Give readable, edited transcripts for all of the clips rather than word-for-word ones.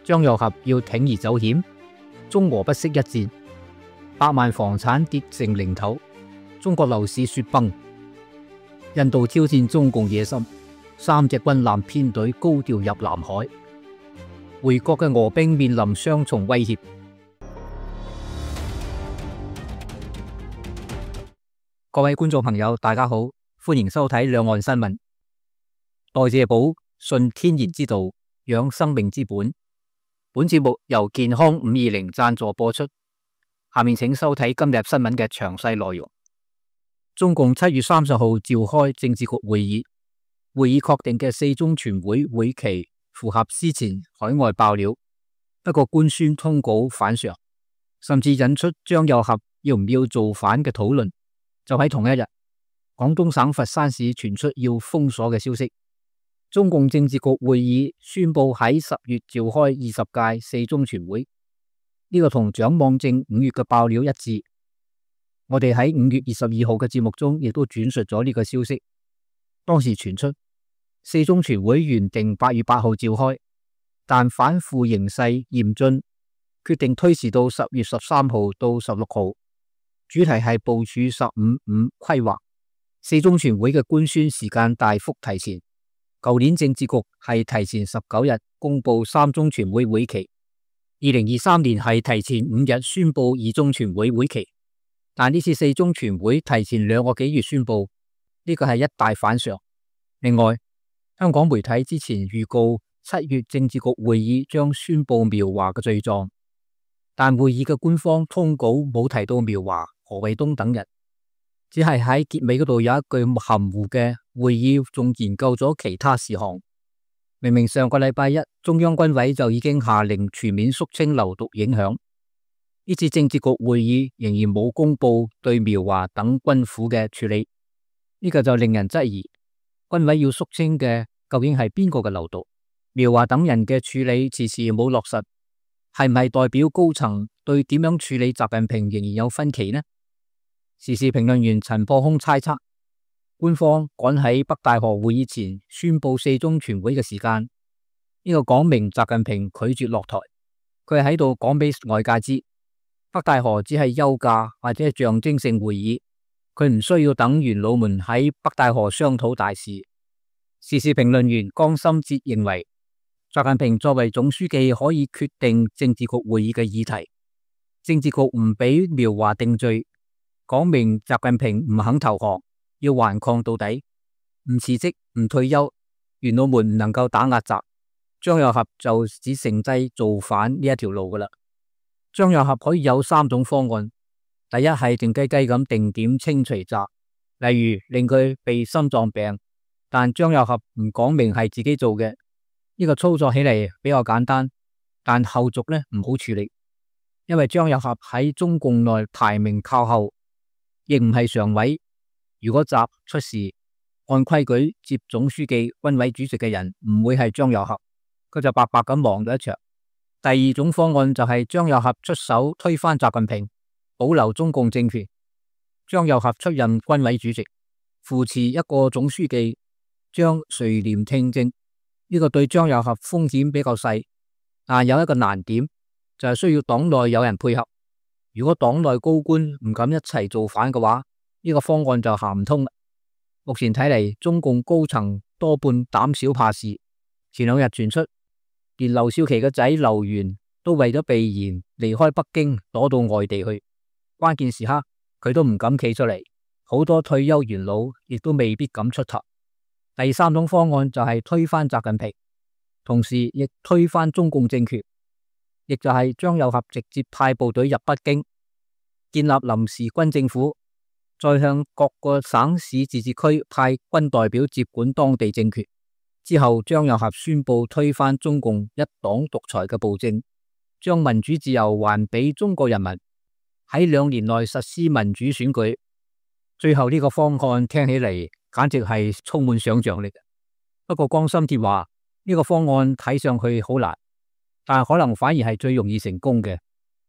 張又俠要鋌而走險，中俄不惜一戰，百萬房產跌成零頭，中國樓市雪崩。印度挑戰中共野心，3隻軍艦編隊高調入南海，回國嘅俄兵面臨雙重威脅。各位觀眾朋友，大家好，歡迎收睇兩岸新聞。代謝寶，信天然之道，養生命之本。本節目由健康520贊助播出。下面請收睇今日新聞嘅詳細內容。中共7月30號召開政治局會議，會議確定嘅4中全會會期符合之前海外爆料，不過官宣通稿反常，甚至引出張又俠要唔要造反嘅討論。就喺同一日，廣東省佛山市傳出要封鎖嘅消息。中共政治局會議宣布喺10月召開20屆4中全會，呢個同蔣望正5月嘅爆料一致。我哋喺5月22號嘅節目中亦都轉述咗呢個消息。當時傳出4中全會原定8月8號召開，但反腐形勢嚴峻，決定推遲到10月13號到16號。主題係部署15.5規劃。4中全會嘅官宣時間大幅提前。舊年政治局係提前19日公布3中全會會期，2023年係提前5日宣布2中全會會期，但呢次4中全會提前2個幾月宣布，呢個係一大反常。另外，香港媒體之前預告7月政治局會議將宣布苗華嘅罪狀，但會議嘅官方通稿冇提到苗華、何衛東等人，只係喺結尾嗰度有一句含糊嘅會議仲研究咗其他事項。明明上個禮拜一中央軍委就已經下令全面肅清流毒影響，呢次政治局會議仍然冇公布對苗華等軍府嘅處理，呢個就令人質疑軍委要肅清嘅究竟係邊個嘅流毒？苗華等人嘅處理遲遲冇落實，係唔係代表高層對點樣處理習近平仍然有分歧呢？時事評論員陳破空猜測，官方趕喺北戴河會議前宣布4中全會嘅時間，呢個講明習近平拒絕落台，佢係喺度講俾外界知，北戴河只係休假或者係象徵性會議，佢唔需要等元老們喺北戴河商討大事。時事評論員江心哲認為，習近平作為總書記可以決定政治局會議嘅議題，政治局唔俾苗華定罪，講明習近平唔肯投降，要頑抗到底，唔辭職唔退休，元老們唔能夠打壓習，張又俠就只剩低造反呢一條路噶啦。張又俠可以有3種方案，第一係靜雞雞咁定點清除習，例如令佢避心臟病，但張又俠唔講明係自己做嘅，呢個操作起嚟比較簡單，但後續呢唔好處理，因為張又俠喺中共內排名靠後，亦唔係常委。如果習出事，按規矩接總書記、軍委主席嘅人唔會係張又俠，佢就白白咁忙咗一場。第二種方案就係張又俠出手推翻習近平，保留中共政權。張又俠出任軍委主席，扶持一個總書記，將垂簾聽政，呢個對張又俠風險比較細，但有一個難點就係需要黨內有人配合。如果黨內高官唔敢一齊造反嘅話，呢個方案就行唔通啦。目前睇嚟，中共高層多半膽小怕事。前2日傳出，連劉少奇嘅仔劉源都為咗避嫌離開北京，躲到外地去。關鍵時刻佢都唔敢企出嚟，好多退休元老亦都未必敢出頭。第3種方案就係推翻習近平，同時亦推翻中共政權，亦就係張又俠直接派部隊入北京，建立臨時軍政府，再向各個省市自治區派軍代表接管當地政權。之後張又俠宣布推翻中共一黨獨裁嘅暴政，將民主自由還俾中國人民，喺2年內實施民主選舉。最後呢個方案聽起嚟簡直係充滿想象力。不過江心哲話呢個方案睇上去好難，但可能反而係最容易成功嘅，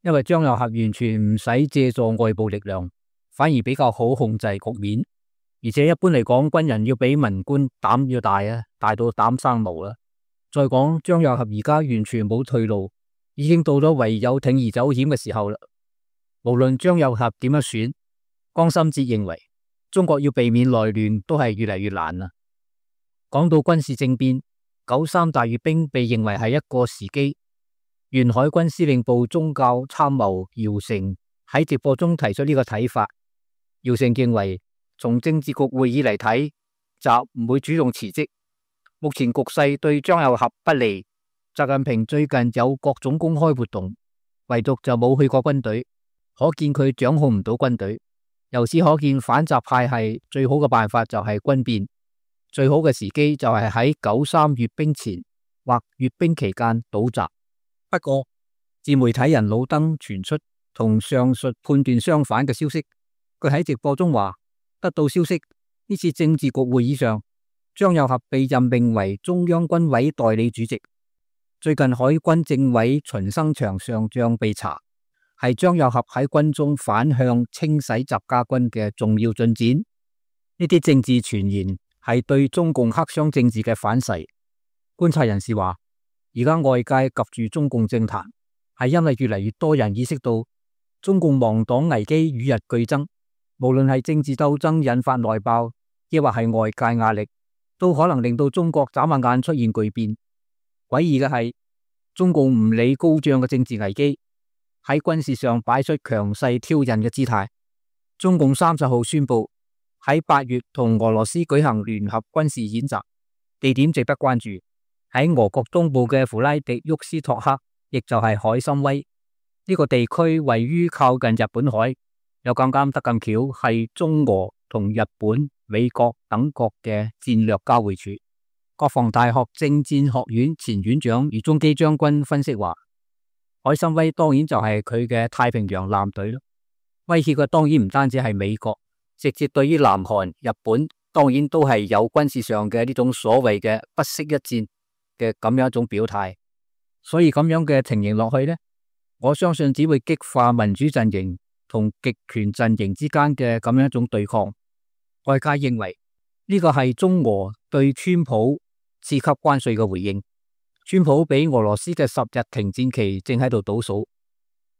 因為張又俠完全唔使借助外部力量，反而比較好控制局面。而且一般嚟講，軍人要比文官膽要大啊，大到膽生毛啦。再講張又俠而家完全冇退路，已經到咗唯有鋌而走險嘅時候啦。無論張又俠點樣選，江心哲認為中國要避免內亂都係越嚟越難啦。講到軍事政變，93大閱兵被認為係一個時機。原海軍司令部宗教參謀姚成喺直播中提出呢個睇法。姚成認為從政治局會議嚟睇，習唔會主動辭職。目前局勢對張又俠不利，習近平最近有各種公開活動，唯獨就冇去過軍隊，可見佢掌控唔到軍隊。由此可見，反習派系最好嘅辦法就係軍變，最好嘅時機就係喺93閱兵前或閱兵期間倒習。不過，自媒體人老登傳出同上述判斷相反嘅消息。佢喺直播中話，得到消息，呢次政治局會議上，張又俠被任命為中央軍委代理主席。最近海軍政委秦生祥上將被查，係張又俠喺軍中反向清洗習家軍嘅重要進展。呢啲政治傳言係對中共黑箱政治嘅反噬。觀察人士話，而家外界及住中共政壇，係因為越嚟越多人意識到中共亡黨危機與日俱增。無論係政治鬥爭引發內爆，亦或係外界壓力，都可能令到中國眨下眼出現巨變。詭異嘅係，中共唔理高漲嘅政治危機，喺軍事上擺出強勢挑釁嘅姿態。中共30號宣布喺8月同俄羅斯舉行聯合軍事演習，地點值得關注。喺俄國東部嘅弗拉迪沃斯托克，亦就係海參崴呢個地區，位於靠近日本海。又咁啱得咁巧，係中俄同日本、美國等國嘅戰略交匯處。國防大學政戰學院前院長余宗基將軍分析話，海參崴當然就係佢嘅太平洋艦隊咯。威脅嘅當然唔單止係美國，直接對於南韓、日本，當然都係有軍事上嘅呢種所謂嘅不惜一戰嘅咁樣一種表態。所以咁樣嘅情形落去呢，我相信只會激化民主陣營同極權陣營之間嘅咁樣一種對抗。外界認為呢個係中俄對川普次級關稅嘅回應。川普俾俄羅斯嘅10日停戰期正喺度倒數。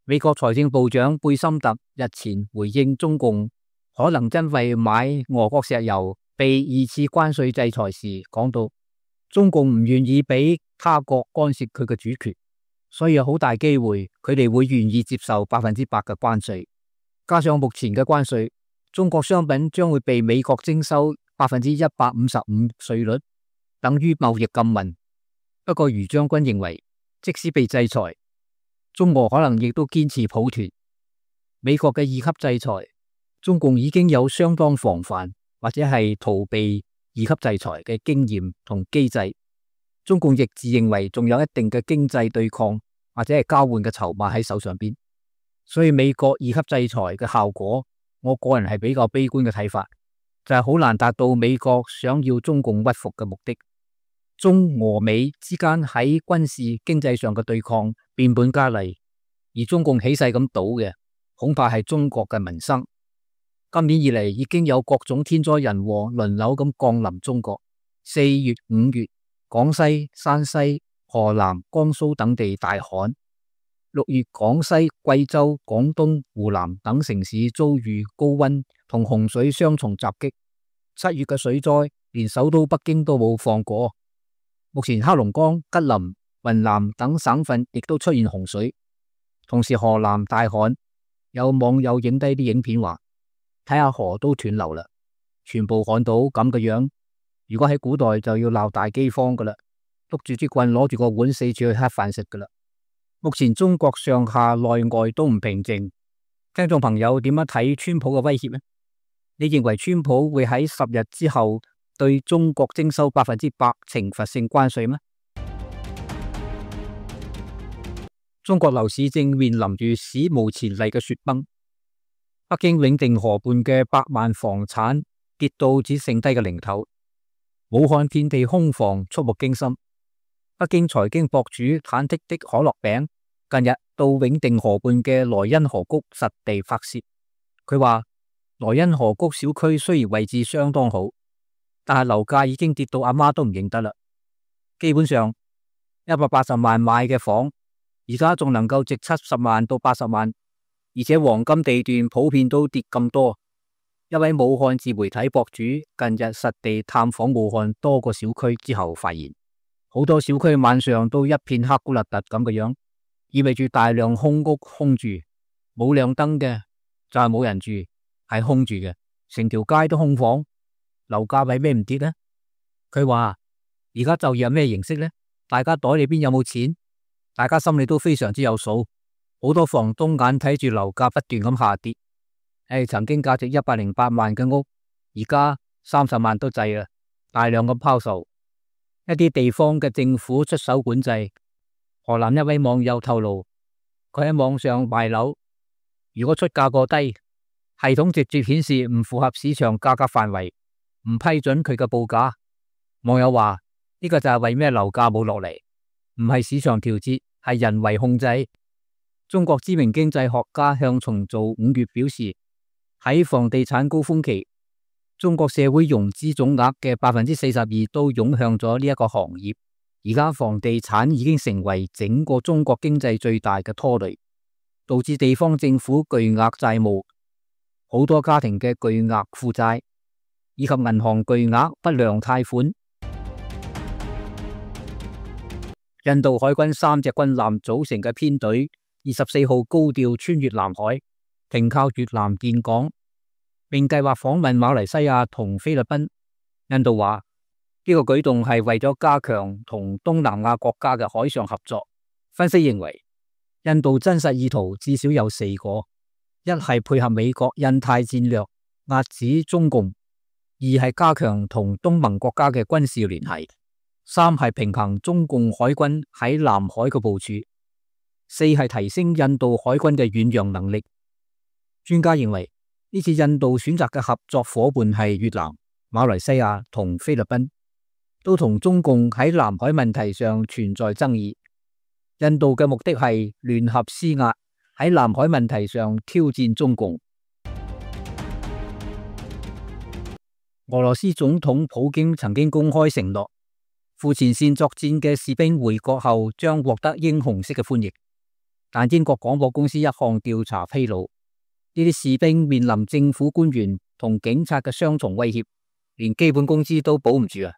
美國財政部長貝森特日前回應中共可能因為買俄國石油被2次關稅制裁時，講到中共唔願意俾他國干涉佢嘅主權，所以有好大機會佢哋會願意接受100%嘅關稅。加上目前嘅關稅，中國商品將會被美國徵收155%稅率，等於貿易禁運。不過余將軍認為，即使被制裁，中俄可能亦都堅持抱團。美國嘅2級制裁，中共已經有相當防範或者係逃避2級制裁嘅經驗同機制。中共亦自認為仲有一定嘅經濟對抗或者係交換嘅籌碼喺手上邊。所以美國2級制裁嘅效果，我個人係比較悲觀嘅睇法，就係好難達到美國想要中共屈服嘅目的。中俄美之間喺軍事經濟上嘅對抗變本加厲，而中共起勢咁賭嘅，恐怕係中國嘅民生。今年以嚟已經有各種天災人禍輪流咁降臨中國。4月、5月，廣西、山西、河南、江蘇等地大旱。6月，廣西、貴州、廣東、湖南等城市遭遇高溫同洪水雙重襲擊。7月嘅水災，連首都北京都冇放過。目前黑龍江、吉林、雲南等省份亦都出現洪水，同時河南大旱。有網友影低啲影片話，睇下河都斷流啦，全部旱到咁嘅樣。如果喺古代就要鬧大饑荒噶啦，篤住支棍，攞住個碗，四處去乞飯食噶啦。目前中國上下內外都唔平靜，聽眾朋友點樣睇川普嘅威脅呢？你認為川普會喺10日之後對中國徵收100%懲罰性關稅嗎？中國樓市正面臨住史無前例嘅雪崩，北京永定河畔嘅百萬房產跌到只剩低嘅零頭，武漢遍地空房觸目驚心。北京財經博主忐忑的可樂餅近日到永定河畔嘅萊茵河谷實地拍攝，佢話萊茵河谷小區雖然位置相當好，但係樓價已經跌到阿媽都唔認得啦。基本上180萬買嘅房，而家仲能夠值70萬到80萬，而且黃金地段普遍都跌咁多。一位武漢自媒體博主近日實地探訪武漢多個小區之後，發現好多小區晚上都一片黑咕勒突咁嘅樣，意味住大量空屋空住，冇亮燈嘅就係冇人住，係空住嘅，成條街都空房。樓價為咩唔跌呢？佢話而家就業係咩形式呢？大家袋裏邊有冇錢？大家心裏都非常之有數。好多房東眼睇住樓價不斷咁下跌。曾經價值108萬嘅屋，而家30萬都滯啦，大量咁拋售。一啲地方嘅政府出手管制。河南一位網友透露，佢喺網上賣樓，如果出價過低，系統直接顯示唔符合市場價格範圍，唔批准佢嘅報價。網友話呢個就係為咩樓價冇落嚟，唔係市場調節，係人為控制。中國知名經濟學家向重造5月表示，喺房地產高峰期，中國社會融資總額嘅42%都湧向咗呢一個行業。而家房地產已經成為整個中國經濟最大嘅拖累，導致地方政府巨額債務，好多家庭嘅巨額負債，以及銀行巨額不良貸款。印度海軍3隻軍艦組成嘅編隊24號高調穿越南海，停靠越南建港，並計劃訪問馬來西亞同菲律賓。印度話呢個舉動係為咗加強同東南亞國家嘅海上合作。分析認為，印度真實意圖至少有4個：一係配合美國印太戰略，遏止中共；二係加強同東盟國家嘅軍事聯繫；三係平衡中共海軍喺南海嘅部署；四係提升印度海軍嘅遠洋能力。專家認為，呢次印度選擇嘅合作夥伴係越南、馬來西亞同菲律賓，都同中共喺南海問題上存在爭議。印度嘅目的係聯合施壓，喺南海問題上挑戰中共。俄羅斯總統普京曾經公開承諾，赴前線作戰嘅士兵回國後將獲得英雄式嘅歡迎。但英國廣播公司一項調查披露，呢啲士兵面臨政府官員同警察嘅雙重威脅，連基本工資都保唔住啊！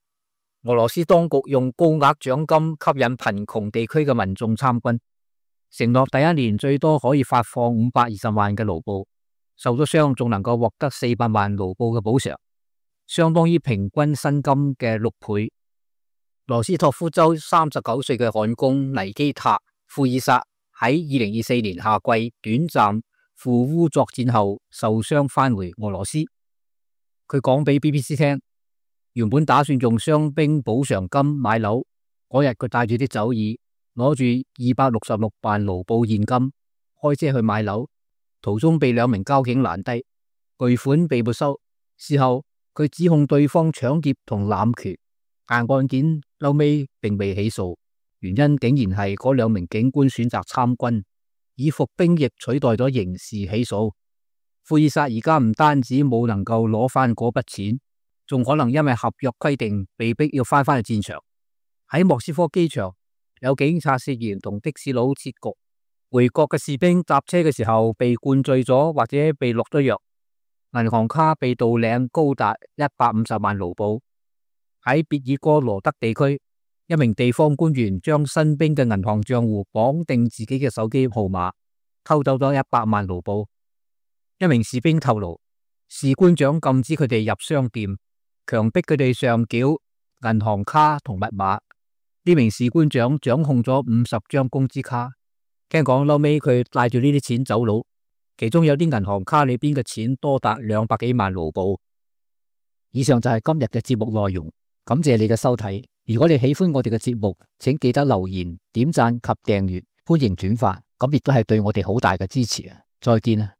俄羅斯當局用高額獎金吸引貧窮地區嘅民眾參軍，承諾第一年最多可以發放520萬嘅盧布，受咗傷仲能夠獲得400萬盧布嘅補償，相當於平均薪金嘅6倍。羅斯托夫州39歲嘅焊工尼基塔·庫爾薩喺2024年夏季短暫赴烏作戰後受傷返回俄羅斯。佢講俾 BBC 聽，原本打算用傷兵補償金買樓，嗰日佢帶住啲酒意，攞住266萬盧布現金，開車去買樓，途中被2名交警攔低，巨款被沒收。事後佢指控對方搶劫同濫權，但案件後尾並未起訴，原因竟然係嗰2名警官選擇參軍，以服兵役取代咗刑事起訴。庫爾薩而家唔單止冇能夠攞翻嗰筆錢，仲可能因為合約規定被逼要翻去戰場。喺莫斯科機場，有警察涉嫌同的士佬切局，回國嘅士兵搭車嘅時候被灌醉咗或者被落咗藥，銀行卡被盜領高達150萬盧布。喺別爾哥羅德地區，一名地方官員將新兵嘅銀行賬戶綁定自己嘅手機號碼，偷走咗100萬盧布。一名士兵透露，士官長禁止佢哋入商店，強迫佢哋上繳銀行卡同密碼。呢名士官長掌控咗50張工資卡，聽講後尾佢帶住呢啲錢走佬，其中有啲銀行卡裏邊嘅錢多達200幾萬盧布。以上就係今日嘅節目內容，感謝你嘅收睇。如果你喜歡我哋嘅節目，請記得留言、點讚及訂閱，歡迎轉發，咁亦都係對我哋好大嘅支持啊！再見啊！